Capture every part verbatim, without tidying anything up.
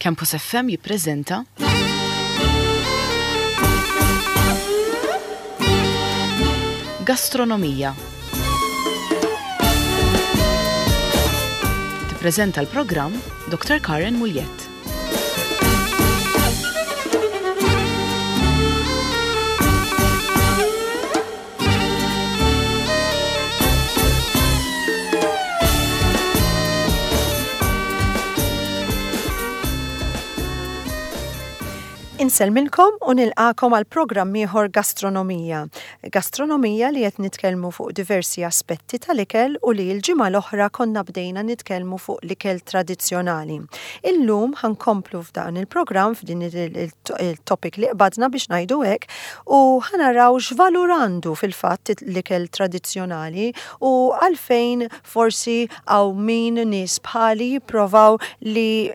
Campus F M jippreżenta Gastronomija. Tippreżenta l-programm Doctor Karen Mugliett. Insellmilkom u nilqakom għal programm ieħor Gastronomija. Gastronomija li qed nitkellmu fuq diversi aspetti tal-ikel u li l-ġimgħa l-oħra konna bdejna nitkellmu fuq l-ikel tradizzjonali. Illum ħa nkomplu f'dan il-programm, f'din il-topic li qbadna, biex ngħidu hekk, u ħa naraw x'valur għandu fil-fatt l-ikel tradizzjonali u għalfejn forsi hawn min nies bħali jipprovaw li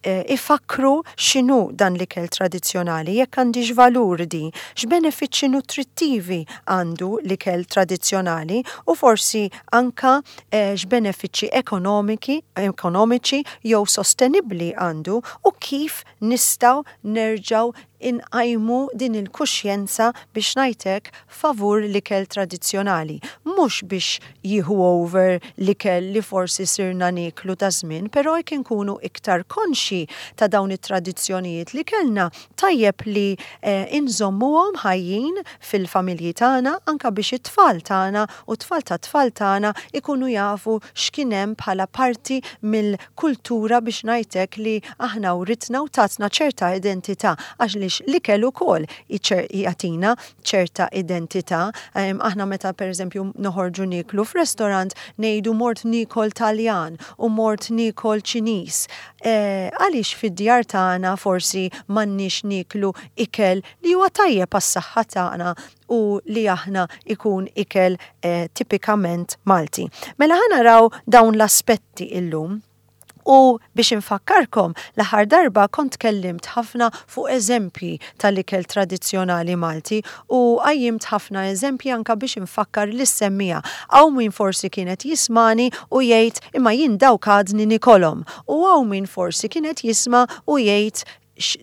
ifakru x'inhu dan l-ikel tradizzjonali, jekk għandix valur di, x'benefiċċji nutrittivi għandu l-ikel tradizzjonali u forsi anka x'benefiċċji ekonomiki, ekonomiċi jew sostenibbli għandu u kif nistgħu nerġgħu inqajmu din il-kuxjenza, biex ngħidlek, favur l-ikel tradizzjonali. Mhux biex jieħu over l-ikel li forsi sirna niklu ta' żmien, però jekk inkunu iktar konxi ta' dawn it-tradizzjonijiet li kellna, tajjeb li eh, inżommuhom ħajjin fil-familji tagħna, anka biex it-tfal tagħna u tfal ta' tfal tagħna ikunu jafu x'kien hemm bħala parti mill-kultura, biex ngħidlek, li aħna writna u tatna ċerta identità, għax li l-ikel ukoll jagħtina ċerta identità. Aħna meta, pereżempju, noħorġu niklu f'restorant, ngħidu "mort nikol Taljan" u "mort nikol Ċiniż". E, għaliex fid-djar tagħna forsi m'għandniex niklu ikel li huwa tajjeb għas-saħħa tagħna u li aħna ikun ikel e, tipikament Malti? Mela ħa naraw dawn l-aspetti illum. U biex infakkarkom, l-aħħar darba kont kellimt ħafna fuq eżempji tal-ikel tradizzjonali Malti u qajjimt ħafna eżempji anka biex infakkar lis-semmiegħa. Hawn min forsi kienet jismani u jgħid, "Imma jien dawk għadni nikolhom." U hawn min forsi kienet jisma' u jgħid,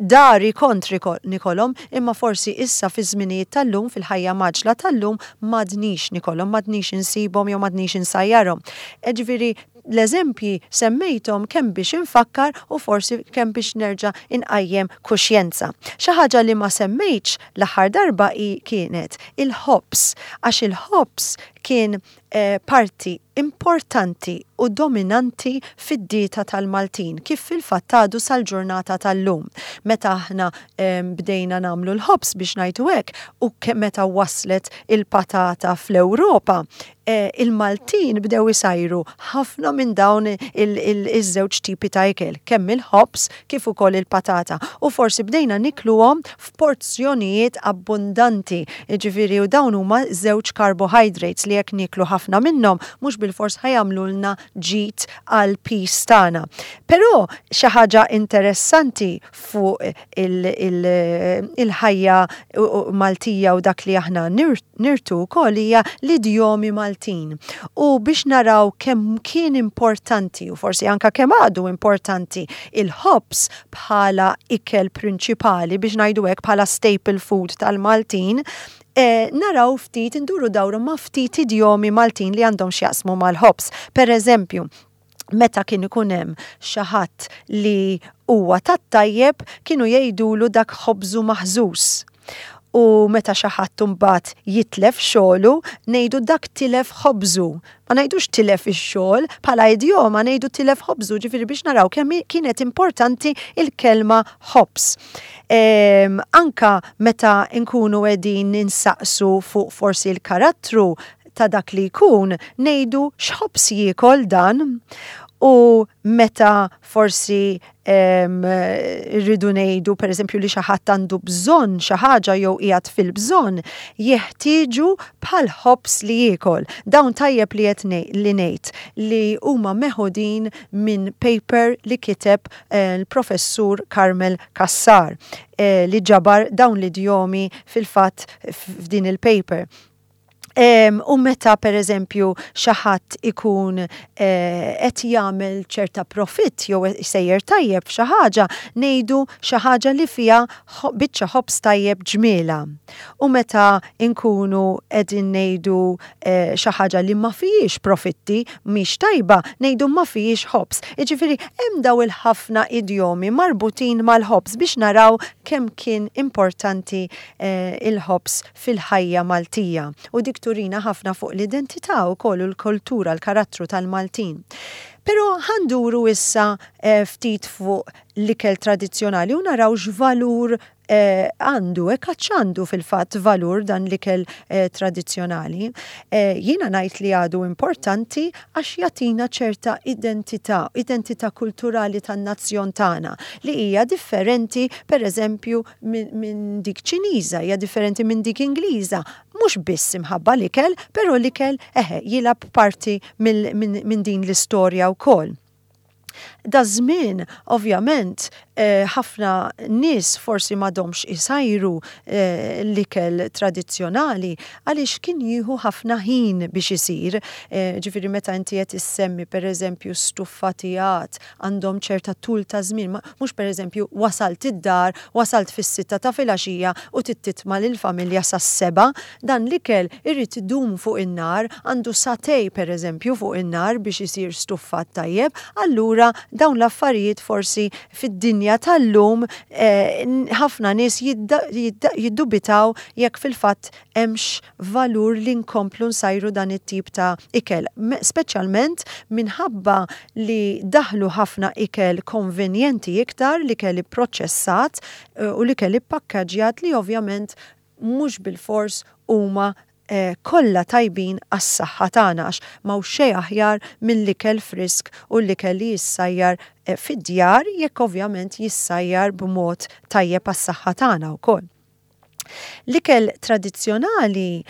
"Dari kont nikolhom, imma forsi issa fi żminijiet tal-lum, fil-ħajja mgħaġġla tal-lum, m'għadnix nikolhom, m'għadnix insibhom jew m'għadnix insajjarhom." Ġifieri l-eżempji semmejthom kemm biex infakkar u forsi kemm biex nerġa' inqajjem kuxjenza. Xi ħaġa li ma semmejtx l-aħħar darba i kienet il-ħobż, għax il-ħobż kien eh, parti importanti u dominanti fid-dieta tal-Maltin, kif fil-fatt għadu sal-ġurnata tal-lum. Meta aħna eh, bdejna nagħmlu l-ħobż, biex ngħidu hekk, u meta waslet il-patata fl-Ewropa, eh, il-Maltin bdew isajru ħafna minn dawn iż-żewġ tipi ta' ikel, kemm il-ħobż kif ukoll il-patata. U forsi bdejna nikluhom f'porzjonijiet abbundanti. Ġifieri u dawn huma żewġ carbohydrates li jekk niklu ħafna minnhom mhux bilfors ħa jagħmlulna ġid għal piż tagħna. Però xi ħaġa interessanti fuq il-ħajja Maltija u dak li aħna nirtu wkoll hija l-idjomi Maltin. U biex naraw kemm kien importanti u forsi anka kemm għadu importanti il-ħobż bħala ikel prinċipali, biex ngħidu hekk, bħala staple food tal-Maltin, e, naraw ftit, induru dawru ma' ftit idjomi Maltin li għandhom x'jaqsmu mal-ħobż. Per eżempju, meta kien ikun hemm xi ħadd li huwa tat-tajjeb, kienu jgħidulu, "Dak ħobżu maħżuż." U meta xi ħadd imbagħad jitlef xogħlu, ngħidu, "Dak tilef ħobżu." Ma ngħidux "tilef ix-xogħol", bħala idjoma ngħidu "tilef ħobżu", ġifieri biex naraw kemm kienet importanti il-kelma ħobż. Ehm, anka meta nkunu qegħdin ninsaqsu fuq forsi l-karattru ta' dak li jkun, ngħidu, "X'ħobż jiekol dan?" U meta forsi rridu ngħidu, per eżempju, li xi ħadd għandu bżonn xi ħaġa jew qiegħed fil-bżonn, "Jeħtieġu bħal ħobż li jiekol." Dawn tajjeb li qed li ngħid li huma meħudin minn paper li kiteb eh, l-professur Carmel Cassar eh, li ġabar dawn l-idjomi fil-fatt f'din il-paper. U meta per eżempju xi ħadd ikun eh, qed jagħmel ċerta profitt jew sejjer tajjeb f'xi ħaġa, ngħidu xi ħaġa li fiha biċċa ħobż tajjeb ġmiela. U meta nkunu qegħdin ngħidu eh, xi ħaġa li ma fihiex profitti, mhix tajba, ngħidu ma fihiex ħobż. Jiġifieri hemm daw il-ħafna idjomi marbutin mal-ħobż biex naraw kemm kien importanti eh, il-ħobż fil-ħajja Maltija. U dik turina ħafna fuq l-identità wkoll u l-kultura, l-karattru tal-Maltin. Però ħa nduru issa eh, ftit fuq l-ikel tradizzjonali u naraw x'valur eh, għandu, e għandu fil-fatt valur dan l-ikel eh, tradizzjonali. Eh, jiena ngħid li għadu importanti għax jagħtina ċerta identità, identità kulturali tan-nazzjon tagħna li hija differenti per eżempju minn min dik Ċiniża, hija differenti minn dik Ingliża. Mhux biss imħabba l-ikel, però l-ikel eħe jilgħab parti minn min din l-istorja wkoll. Daż-żmien, ovvjament, eh, ħafna nies forsi m'għadhomx isajru eh, l-ikel tradizzjonali għaliex kien jieħu ħafna ħin biex isir. Eh, ġifieri meta inti qed issemmi pereżempju stuffatijat għandhom ċerta tul ta' żmien, mhux pereżempju wasalt id-dar, wasalt fis-sitta ta' filgħaxija u titma' lill-familja sas-sebgħa, dan l-ikel irid idum fuq in-nar, għandu sagħtejn pereżempju fuq in-nar biex isir stuffat tajjeb, allura dawn l-affarijiet forsi fid-dinja tal-lum ħafna nies jiddubitaw jekk fil-fatt hemmx valur li nkomplu nsajru dan it-tip ta' ikel. Speċjalment minħabba li daħlu ħafna ikel konvenjenti iktar, l-ikel ipproċessat u l-ikel ippakkagġjat li ovvjament mhux bil-fors huma eh, kollha tajbin għas-saħħa tagħna għax m'hawn xejn aħjar mill-ikel frisk u l-ikel li jissajjar eh, fid-djar jekk ovvjament jissajjar b'mod tajjeb għas-saħħa tagħna wkoll. L-ikel tradizzjonali,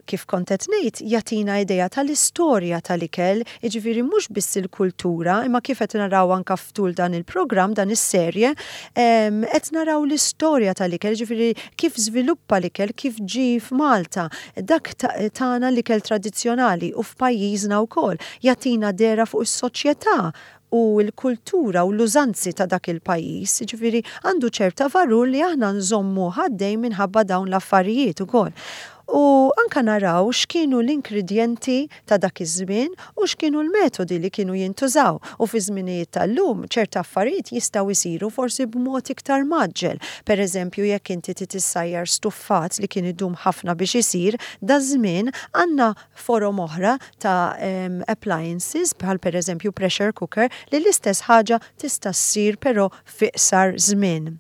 kif kont qed ngħid, jagħtina idea tal-istorja tal-ikel, jiġifieri mhux biss il-kultura, imma kif qed naraw anka ftul dan il-programm, dan is-serje, qed naraw l-istorja tal-ikel, jiġifieri kif żviluppa l-ikel, kif ġie f'Malta, dak tagħna l-ikel tradizzjonali u f'pajjiżna wkoll, jagħtina dehra fuq is-soċjetà u l-kultura u l-użanzi ta' dak il-pajjiż, jiġifieri għandu ċerta valur li aħna nżommu għaddej minħabba dawn l-affarijiet ukoll. U anka naraw x'kienu l-ingredjenti ta' dak iż-żmien u x'kienu l-metodi li kienu jintużaw. U fi żminijiet tal-lum ċerta affarijiet jistgħu jsiru forsi b'mod iktar mgħaġġel. Per eżempju, jekk inti tissajjar stuffat li kien idum ħafna biex isir, daż-żmien għandna forom oħra ta' um, appliances bħal per eżempju pressure cooker li l-istess ħaġa tista' ssir però fi iqsar żmien.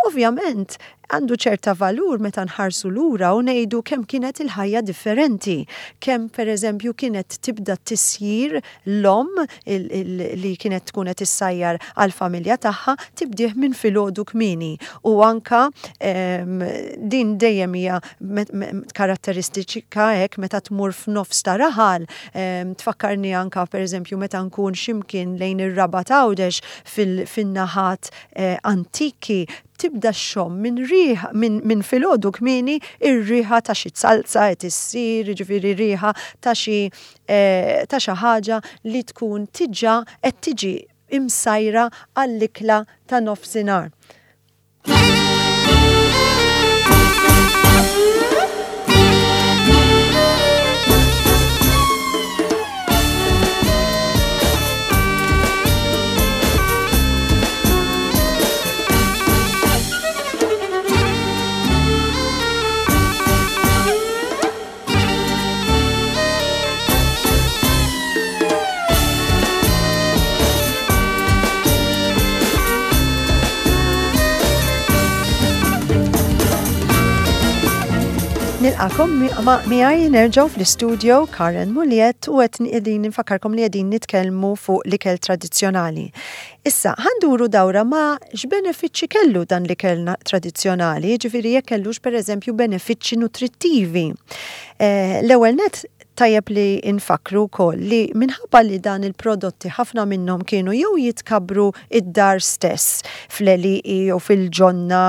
Ovvjament, għandu ċerta valur meta nħarsu lura u ngħidu kemm kienet il-ħajja differenti, kemm per eżempju kienet tibda tisjir l-omm li kienet tkun qed issajjar għall-familja tagħha tibdih minn filgħodu kmieni u anka din dejjem hija karatteristika hekk meta tmur f'nofs ta' raħal, tfakkarni anka per eżempju meta nkun x'imkien lejn ir-Rabat Għawdex fin-naħat eh, antiki, tibda xxomm minn riħa minn min filgħodu kmieni ir-riħa ta' xi salza qed issir, jiġifieri riħa ta' xi eh, ta' xi ħaġa li tkun diġà qed tiġi imsajra għall-ikla ta' nofsinhar. Nilqagħkom miegħi nerġgħu fl-istudio Karen Muliet u qed qegħdin nfakkarkom li qegħdin nitkellmu fuq l-ikel tradizzjonali. Issa, ħa nduru dawra ma' x'benefiċċji kellu dan l-ikel tradizzjonali, ġifieri jekk kellux pereżempju benefiċċji nutrittivi. Eh, l-ewwel net Tajjeb li nfakru wkoll li minħabba li dan il-prodotti ħafna minnhom kienu jew jitkabbru id-dar stess fl-għelieqi jew fil-ġonna,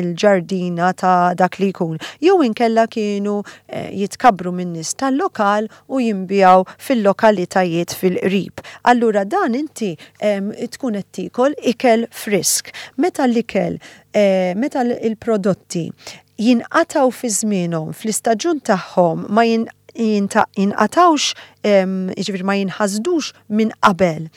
il-ġardina ta' dak li jkun, jew inkella kienu eh, jitkabbru minn nies tal-lokal u jinbiegħu fil-lokalitajiet fil-qrib. Allura dan inti tkun qed tiekol ikel frisk. Meta l-ikel, eh, meta l-prodotti jinqataw fi żmienhom, fl-istaġun tagħhom, ma jinqatawx, jiġifieri ma jinħasdux minn qabel,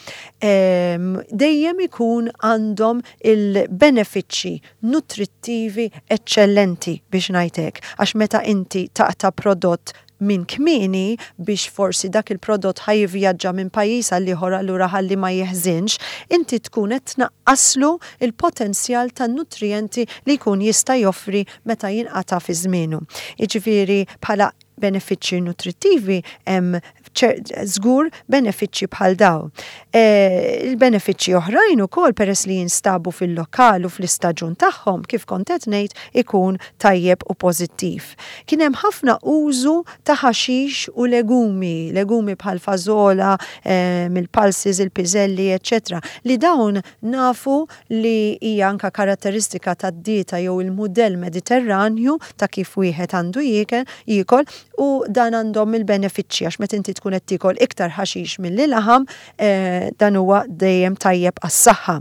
dejjem ikun għandhom il-benefiċċji nutrittivi eċċellenti, biex ngħidlek, għax meta inti taqta' prodott minn kmieni biex forsi dak il-prodott ħa jivvjaġġa minn pajjiż għal ieħor, allura ħalli ma jeħżinx, inti tkun qed tnaqqaslu il-potenzjal tan-nutrijenti li jkun jista' joffri meta jinqata' fi żmienu. Jiġifieri bħala benefiċċji nutrittivi hemm żgur benefiċċji bħal daw. E, il-benefiċċji oħrajn ukoll, peress li jinstabu fil-lokal u fl-istaġun tagħhom, kif kont qed ngħid, ikun tajjeb u pożittiv. Kien hemm ħafna użu ta' ħaxix u legumi, legumi bħal fażola, e, mill-pulses, il-piżelli, eċċetera, li dawn nafu li hija anka karatteristika tad-dieta jew il-mudell Mediterranju ta' kif wieħed għandu jiekol, u dan għandhom il-benefiċċji għax meta inti tkun qed tiekol iktar ħaxix milli laħam, eh, dan huwa dejjem tajjeb għas-saħħa.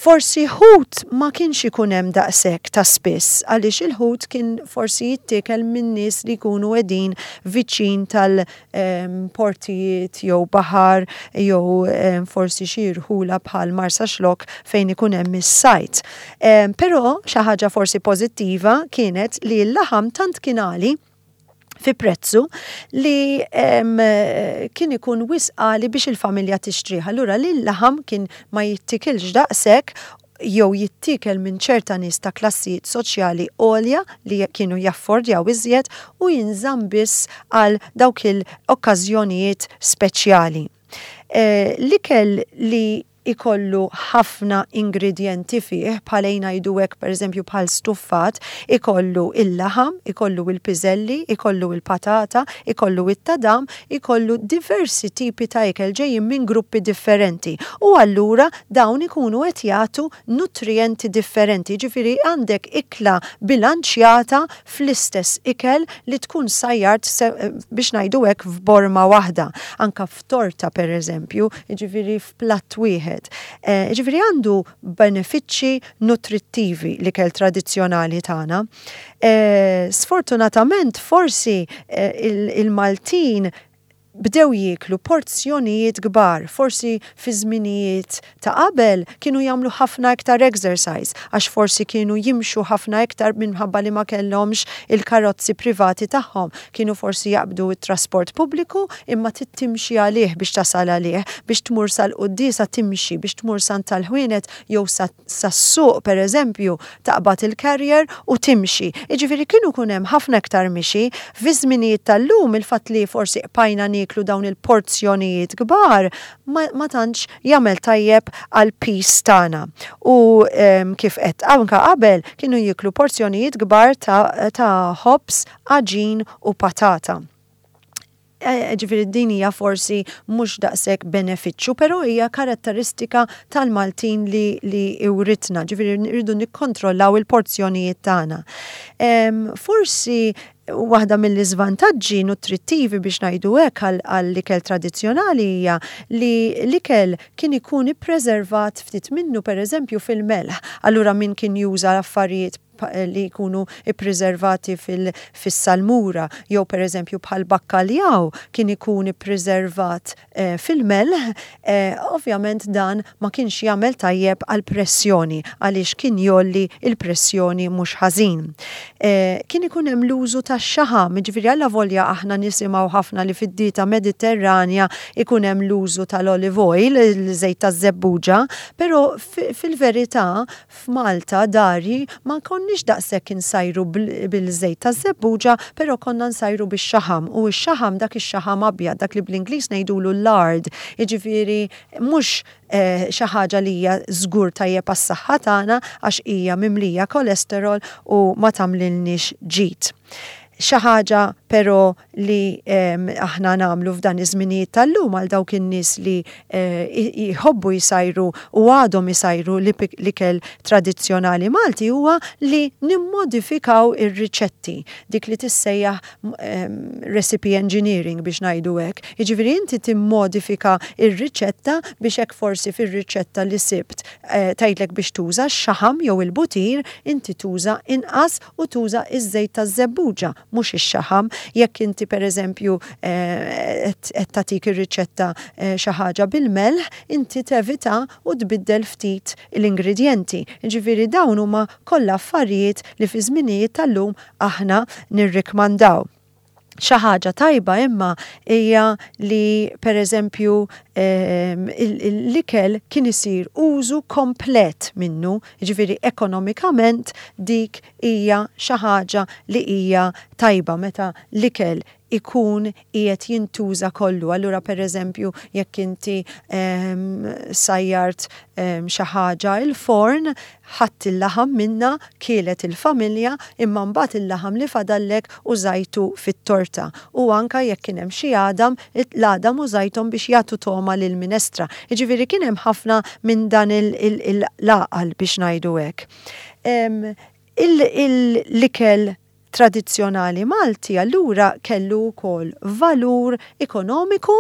Forsi ħut ma kienx ikun hemm daqshekk ta' spiss, għaliex il-ħut kien forsi jittiekel minn nies li jkunu qegħdin viċin tal-portijiet jew baħar jew forsi xi rħula bħal Marsaxlokk fejn ikun hemm is-sajt. Però xi ħaġa forsi pożittiva kienet li l-laħam tant kien għali fi prezzu li kien ikun wisq għali biex il-familja tixtrih. Allura li l-laħam kien ma jittikilx daqshekk jew jittikel minn ċerta nies ta' klassijiet soċjali għolja li kienu jaffordjaw iżjed u jinżamm biss għal dawk il-okkażjonijiet speċjali. Eh, l-ikel li ikollu ħafna ingredienti fih, bħal ngħidu hekk, pereżempju bħal stuffat, ikollu il-laħam, ikollu il-piżelli, ikollu il-patata, ikollu it-tadam, ikollu diversi tipi ta' ikel ġejjin minn gruppi differenti. U allura dawn ikunu qed jagħtu nutrienti differenti, ġifieri għandek ikla bilanċjata fl-istess ikel li tkun sajjart, biex ngħidu hekk, f'borma waħda. Anka f'torta pereżempju, ġifieri f'platt wieħed. Eh, ġifieri għandu benefiċċji nutrittivi l-ikel tradizzjonali tagħna. Eh, sfortunatament forsi eh, il-Maltin bdew jieklu porzjonijiet kbar, forsi fi żminijiet ta' qabel kienu jagħmlu ħafna iktar exercise, għax forsi kienu jimxu ħafna iktar minħabba li ma kellhomx il-karozzi privati tagħhom. Kienu forsi jaqbdu it-trasport pubbliku, imma timxi għalih biex tasal għalih, biex tmur sal-quddiesa timxi, biex tmur san tal-ħwienet jew sas-suq pereżempju, taqbad il-carrier u timxi. Jiġifieri kienu kun hemm ħafna iktar mixi. Fi żminijiet tal-lum, il-fatt li forsi qpajna nieklu dawn il-porzjonijiet kbar ma, ma tantx jagħmel tajjeb għal piż tagħna. U um, kif qed anka qabel kienu jieklu porzjonijiet kbar ta', ta' ħobż, għaġin u patata. E, ġifieri din hija forsi mhux daqshekk benefiċċju, però hija karatteristika tal-Maltin li, li iwritna, ġifieri rridu nikkontrollaw il-porzjonijiet tagħna. Forsi waħda mill-iżvantaġġi nutrittivi, biex ngħidu hekk, għall-ikel tradizzjonali hija li l-ikel kien ikun ippreservat ftit minnu, pereżempju fil-melħ. Allura min kien juża affarijiet li jkunu ippreservati fil-salmura jew pereżempju bħal bakkaljaw kien ikun ippreservat eh, fil-melħ, eh, ovvjament dan ma kienx jagħmel tajjeb għal pressjoni għaliex kien jgħolli il-pressjoni mhux ħażin. Eh, kien ikun hemm l-użu tax-xaħam, jiġifieri alla volja aħna nisimgħu ħafna li fid-dieta Mediterranja ikun hemm l-użu tal-olive oil, il-żejt taż-żebbuġa, però fil-verità f'Malta dari ma konniex daqshekk insajru bil-żejt taż-żebbuġa, però konna nsajru bix-xaħam, u x-xaħam, dak ix-xaħam abjad, dak li bl-Ingliż ngħidulu lard, jiġifieri mhux eh, xi ħaġa li hija żgur tajjeb għas-saħħa tagħna għax hija mimlija kolesterol u ma tagħmlilniex ġid. Xi ħaġa Però li aħna nagħmlu f'dan iż-żminijiet tal-lum għal dawk in-nies li eh, jħobbu jsajru u għadhom isajru l-ikel tradizzjonali Malti huwa li nimmodifikaw ir-riċetti, dik li tissejjaħ recipe engineering, biex ngħidu hekk. Jiġifieri inti timmodifika ir-riċetta biex hekk forsi fir-riċetta li sibt eh, tgħidlek biex tuża x-xaħam jew il-butir, inti tuża inqas u tuża iż-żejt taż-żebbuġa, mhux ix-xaħam. Jekk inti, pereżempju, eh, qed tagħtik ir-riċetta eh, xi ħaġa bil-melħ, inti tevita u tbiddel ftit l-ingredjenti. Ġifieri dawn huma kollha affarijiet li fi żminijiet tal-lum aħna nirrikmandaw. Xi ħaġa tajba imma hija li, pereżempju, ehm, l-ikel kien isir użu komplet minnu, jiġifieri ekonomikament dik hija xi ħaġa li hija tajba meta l-ikel ikun qiegħed jintuża kollu. Allura, pereżempju, jekk inti um, sajjart um, xi ħaġa il-forn, ħadt il-laħam minna, kielet il-familja, imma mbagħad il-laħam li fadallek użajtu fit-torta. U anka jekk kien hemm xi għadam, l-għadam użajthom biex jagħtu togħma lil minestra. Jiġifieri kien hemm ħafna minn dan il-għaqal, biex ngħidu hekk. L-ikel tradizzjonali Malti allura kellu wkoll valur ekonomiku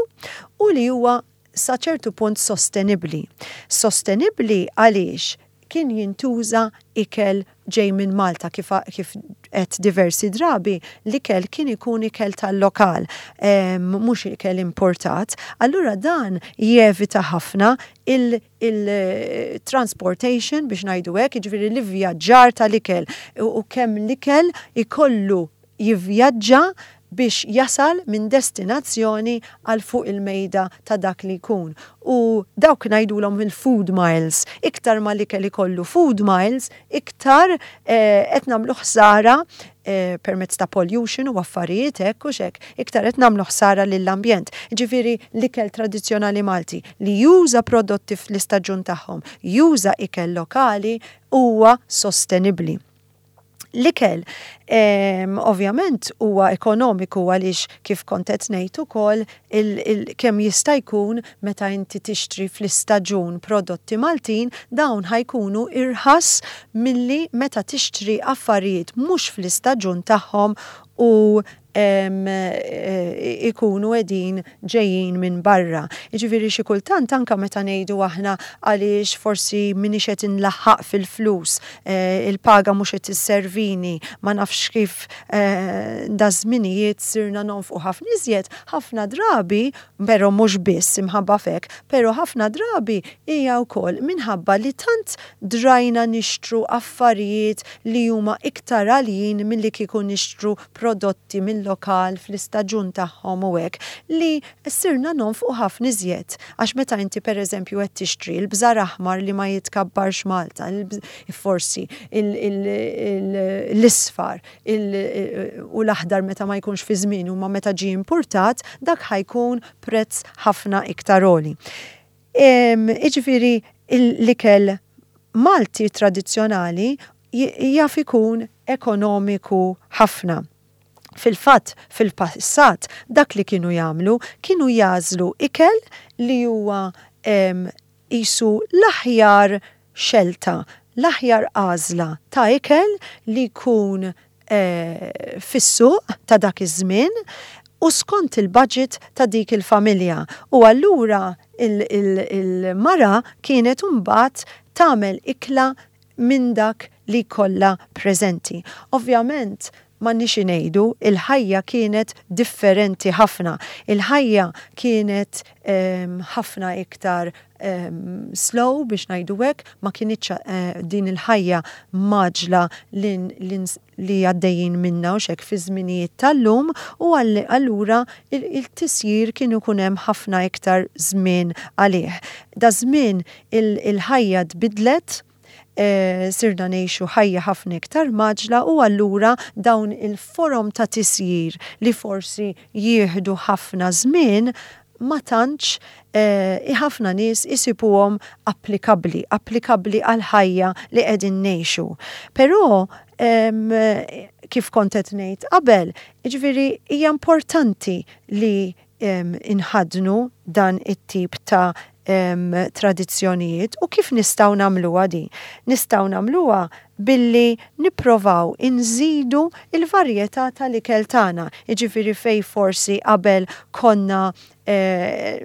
u li huwa sa ċertu punt sostenibbli. Sostenibbli għaliex kien jintuża ikel ġej minn Malta. kif, kif qed diversi drabi, l-ikel kien ikun ikel tal-lokal, mhux ikel importat. Allura dan jevita ħafna il-transportation, biex ngħidu hekk, jiġifieri l-ivvjaġġar tal-ikel u kemm l-ikel ikollu jivvjaġġa biex jasal minn destinazzjoni għal fuq il-mejda ta' dak li jkun. U dawk ngħidulhom il-food miles. Iktar ma l-ikel ikollu food miles, iktar eh, qed nagħmlu ħsara eh, permezz ta' pollution u affarijiet hekk u xek, iktar qed nagħmlu ħsara lill-ambjent. Ġifieri l-ikel tradizzjonali Malti li juża prodotti fl-istaġun tagħhom, juża ikel lokali, huwa sostenibbli. L-ikel ovvjament huwa ekonomiku għaliex, kif kont qed ngħid ukoll, kemm jista' jkun meta inti tixtri fl-istaġun prodotti Maltin, dawn ħa jkunu irħas milli meta tixtri affarijiet mhux fl-istaġun tagħhom u e, ikunu qegħdin ġejjin minn barra. Jiġifieri xi kultant anka meta ngħidu aħna għaliex forsi minix qed inlaħħaq fil-flus, e, il-paga mhux qed isservini, ma nafx kif, e, da żminijiet sirna nonfqu ħafna iżjed, ħafna drabi, però mhux biss imħabba fek, però ħafna drabi hija wkoll minħabba li tant drajna nixtru affarijiet li huma iktar għaljin milli kieku nixtru prodotti mill-lokal fl-istaġun tagħhom u hekk, li sirna nonfqu ħafna iżjed. Għax meta inti, pereżempju, qed tixtri l-bżar aħmar li ma jitkabbarx Malta, forsi l-isfar u l-aħdar meta ma jkunx fi żmien u ma meta ġie importat, dak ħa jkun prezz ħafna iktar għoli. Iġifieri l-ikel Malti tradizzjonali jaf ikun ekonomiku ħafna. Fil-fatt, fil-passat, dak li kienu jagħmlu, kienu jagħżlu ikel li huwa qisu l-aħjar xelta, l-aħjar għażla ta' ikel li jkun eh, fis-suq ta' dak iż-żmien u skont il-budget ta' dik il-familja. U allura il-mara kienet mbagħad tagħmel ikla minn dak li kollha preżenti. Ovvjament, ma nix ngħidu, il-ħajja kienet differenti ħafna. Il-ħajja kienet ħafna iktar um, slow, biex ngħidu hekk, ma kinitx uh, din il-ħajja mgħaġġla li, li, li għaddejjin minna u xek fi żminijiet tal-lum, u allura il-tisjir kienu ikun hemm ħafna iktar żmien għalih. Da żmien il-ħajja tbidlet, e, sirna ngħixu ħajja ħafna iktar mgħaġġla u allura dawn il-forom ta' tisjir li forsi jieħdu ħafna żmien ma tantx eh, ħafna nies isibuhom applikabbli, applikabbli għal-ħajja li qegħdin ngħixu. Però kif kont qed ngħid qabel, jiġifieri hija importanti li inħaddnu dan it-tip ta' tradizzjonijiet u kif nistgħu nagħmluha di? Nistgħu nagħmluha billi nipprovaw inżidu il-varjetà tal-ikel tagħna. Jiġifieri fej forsi qabel konna eh,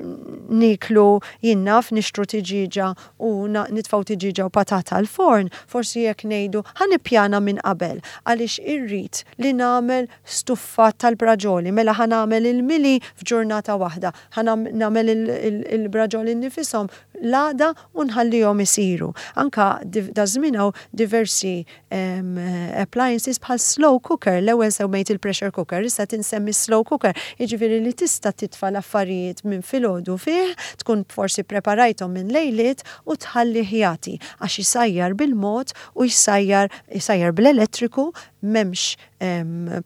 niklu jien naf nixtru tiġiġa u nitfgħu tiġiġa u patata l-forn, forsi jekk ngħidu ħa nippjana minn qabel għaliex irrid li nagħmel stuffat tal-braġoli, mela ħa nagħmel il-mili f'ġurnata waħda, ħa nagħmel il-braġoli nifishom l-għada u nħallihom isiru. Anka daż-żmien hawn diversi appliances bħal slow cooker, l-ewwel semmejt il-pressure cooker, issa tinsemmi slow cooker, jiġifieri li tista' titfa' l-affarijiet minn filgħodu fih, tkun forsi preparajthom minn lejliet u tħalli jagħti għax jisajjar bil-mod u jsajjar jsajjar bl-elettriku m'hemmx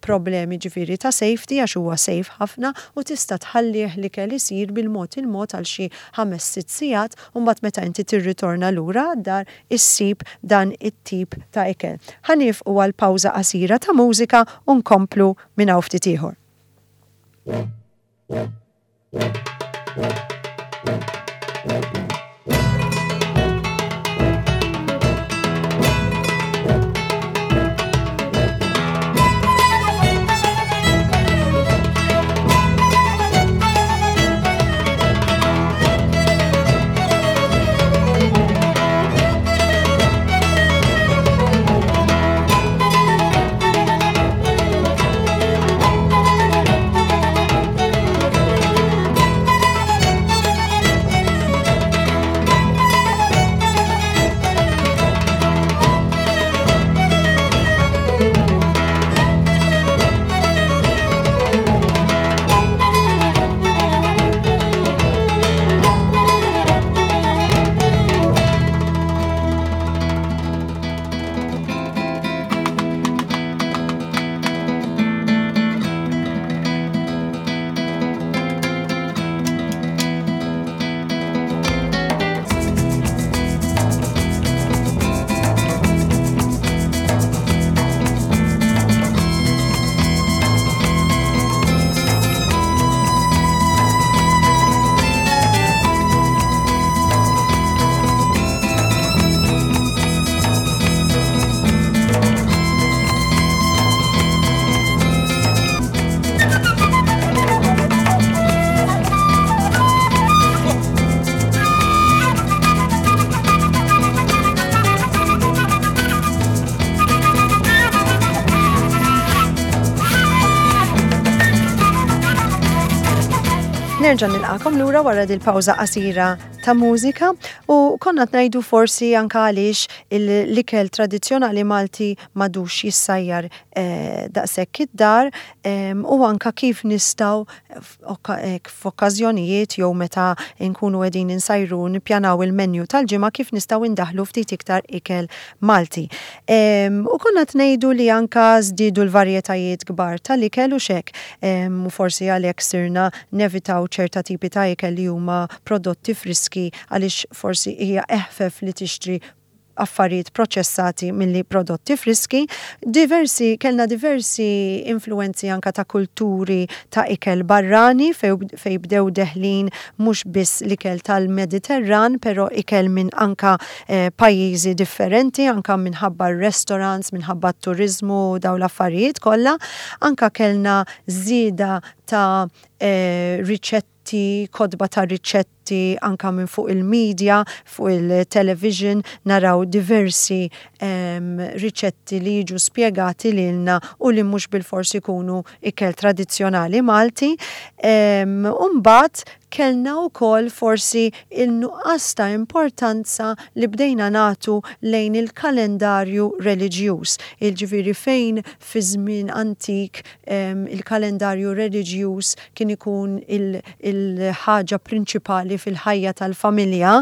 problemi ġifieri ta' safety għax huwa safe ħafna u tista' tħallih l-ikel isir bil-mod il-mod għal xi ħames sitt sigħat u mbagħad meta inti tirritorna lura għad-dar issib dan it-tip ta' ikel. Ħa nieqfu għal pawża qasira ta' mużika u nkomplu minn hawn ftit ieħor. Nerġa' nilqakom lura wara dil-pawża qasira ta' mużika u konna ngħidu forsi anka għaliex l-ikel tradizzjonali Malti m'għadux jissajjar eh, daqshekk id-dar u anka kif nistgħu f'okkażjonijiet jew meta nkunu qegħdin insajru nippjanaw il-menu tal-ġimgħa kif nistgħu indaħlu ftit iktar ikel Malti. U konna ngħidu li anka żdiedu l-varjetajiet kbar tal-ikel u xek u forsi għalhekk sirna nevitaw ċerta tipi ta' ikel li huma prodotti friski għaliex forsi hija eħfef li tixtri affarijiet proċessati milli prodotti friski. Diversi, kellna diversi influenzi anka ta' kulturi ta' ikel barrani fej bdew deħlin mhux biss l-ikel tal-Mediterran, pero ikel minn anka eh, pajjiżi differenti, anka minħabba restaurants, minħabba turizmu, daw l-affarijiet kollha. Anka kellna żieda ta' eh, riċetti, kotba ta' riċetti anka minn fuq il-media, fuq il-television, naraw diversi um, riċetti li jiġu spiegati lilna u li mhux bil-forsi ikunu ikel tradizzjonali Malti. Um, Umbagħad kellna wkoll forsi il-nuqqas ta' importanza li bdejna nagħtu lejn il-kalendarju reliġjuż. Jiġifieri fejn fi żmien antik um, il-kalendarju reliġjuż kien ikun il-ħaġa prinċipali fil-ħajja tal-familja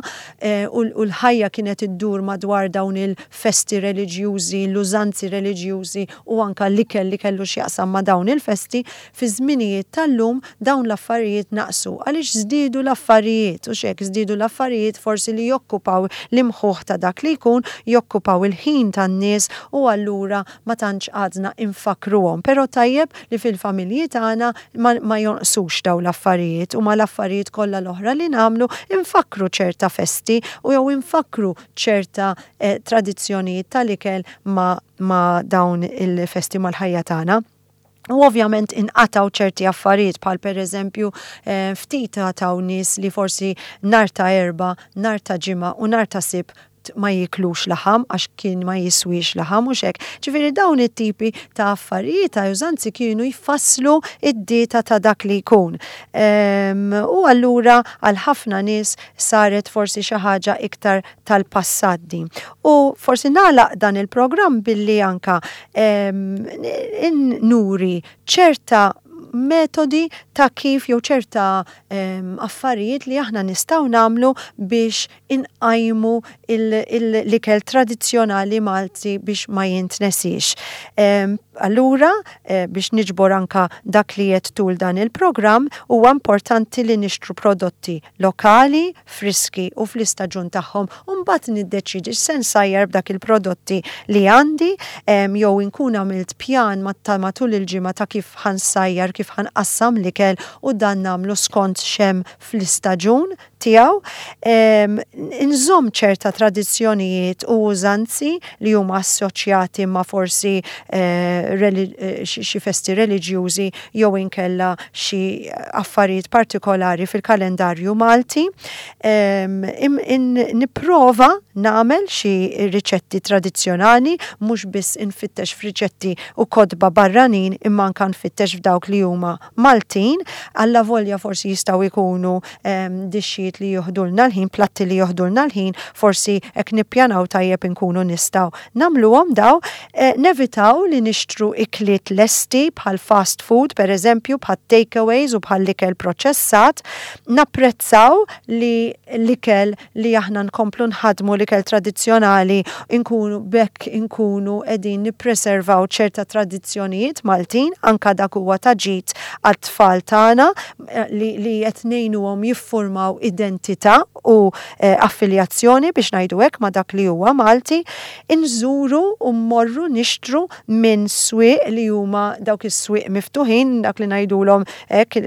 eh, u l-ħajja kienet iddur madwar dawn il-festi reliġjużi, l-użanzi reliġjużi u anka l-ikel li kellu x'jaqsam ma' dawn il-festi, fi żminijiet tal-lum dawn l-affarijiet naqsu għaliex żdiedu l-affarijiet u xek żdiedu l-affarijiet forsi li jokkupaw l-imħuħ ta' dak li jkun, jokkupaw il-ħin tan-nies u allura ma tantx għadna infakruhom. Però tajjeb li fil-familji tagħna ma, ma jonqsux daw l-affarijiet u ma l-affarijiet kollha l-oħra li nagħmlu infakru ċerta festi u jew infakru ċerta eh, tradizzjonijiet tal-ikel ma, ma dawn il-festi mal-ħajja tagħna. U ovvjament inqataw ċerti affarijiet bħal per eżempju eh, ftit taw nies li forsi nhar ta' Erbgħa, nhar ta' Ġimgħa u nhar ta' Sibt ma jiklux laħam għax kien ma jiswix laħam u xek. Ġifieri dawn it-tipi ta' affarijiet ta' użanzi kienu jfasslu id-dieta ta' dak li jkun. U allura għal ħafna nies saret forsi xi ħaġa iktar tal-passat din. U forsi nagħlaq dan il-programm billi anka nuri ċerta metodi ta' kif jew ċerta affarijiet li aħna nistgħu nagħmlu biex inqajmu l-ikel tradizzjonali Malti biex ma jintnesix. Allura, eh, biex niġbor anka dak li qed tul dan il-programm, huwa importanti li nixtru prodotti lokali, friski u fl-istaġun tagħhom u mbagħad niddeċidi x'se nsajjar b'dak il-prodotti li għandi jew inkun għamilt pjan ta' matul il-ġimgħa ta' kif ħa nsajjar, kif ħa nqassam l-ikel u dan nagħmlu skont x'hemm fl-istaġun tiegħu. Inżomm ċerta tradizzjonijiet u użanzi li huma assoċjati ma' forsi eh, eh, xi festi reliġjużi jew inkella xi affarijiet partikolari fil-kalendarju Malti. Nipprova nagħmel xi riċetti tradizzjonali, mhux biss infittex f'riċetti u kotba barranin imma anka nfittex f'dawk li huma Maltin, alla volja forsi jistgħu jkunu dixxijiet li joħdulna l-ħin, platti li joħdulna l-ħin, forsi hekk nippjanaw tajjeb inkunu nistgħu nagħmluhom daw, eh, nevitaw li nixtru ikliet lesti bħal fast food, per eżempju, bħal takeaways u bħal ikel proċessat, napprezzaw li l-ikel li aħna nkomplu nħadmu l-ikel tradizzjonali inkunu bekk inkunu qegħdin nippreservaw ċerta tradizzjonijiet Maltin, anka dak huwa ta' ġid għat-tfal tagħna eh, li, li qed ngħinuhom jiffurmaw identità u eh, affiljazzjoni biex ngħidu hekk ma' dak li huwa Malti, inżuru u mmorru nixtru minn swieq li huma dawk is-swieq miftuħin, dak li ngħidulhom hekk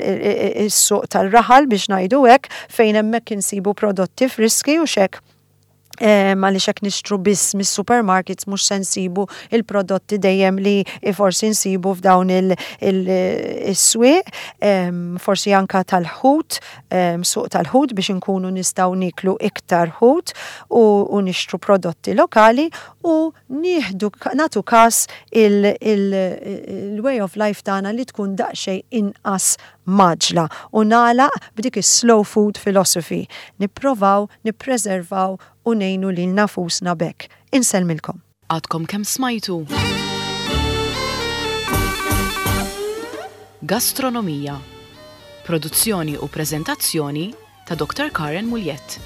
is-suq tal-raħal biex ngħidu hekk, fejn hemmhekk insibu prodotti friski u xek. Għaliex hekk nixtru biss mis-supermarkets mhux se nsibu il-prodotti dejjem li forsi nsibu f'dawn il-swieq, forsi anka tal-ħut, suq tal-ħut biex inkunu nistgħu niklu iktar ħut u nixtru prodotti lokali u nieħdu nagħtu kas il-way of life tagħna li tkun daqsxejn inqas mgħaġġla u nagħlaq b'dik is-slow food philosophy. Nipprovaw, nippreservaw u ngħinu lilna nfusna b'hekk. Insellmilkom. Għadkom kemm smajtu Gastronomija. Produzzjoni u preżentazzjoni ta' Doctor Karen Mugliett.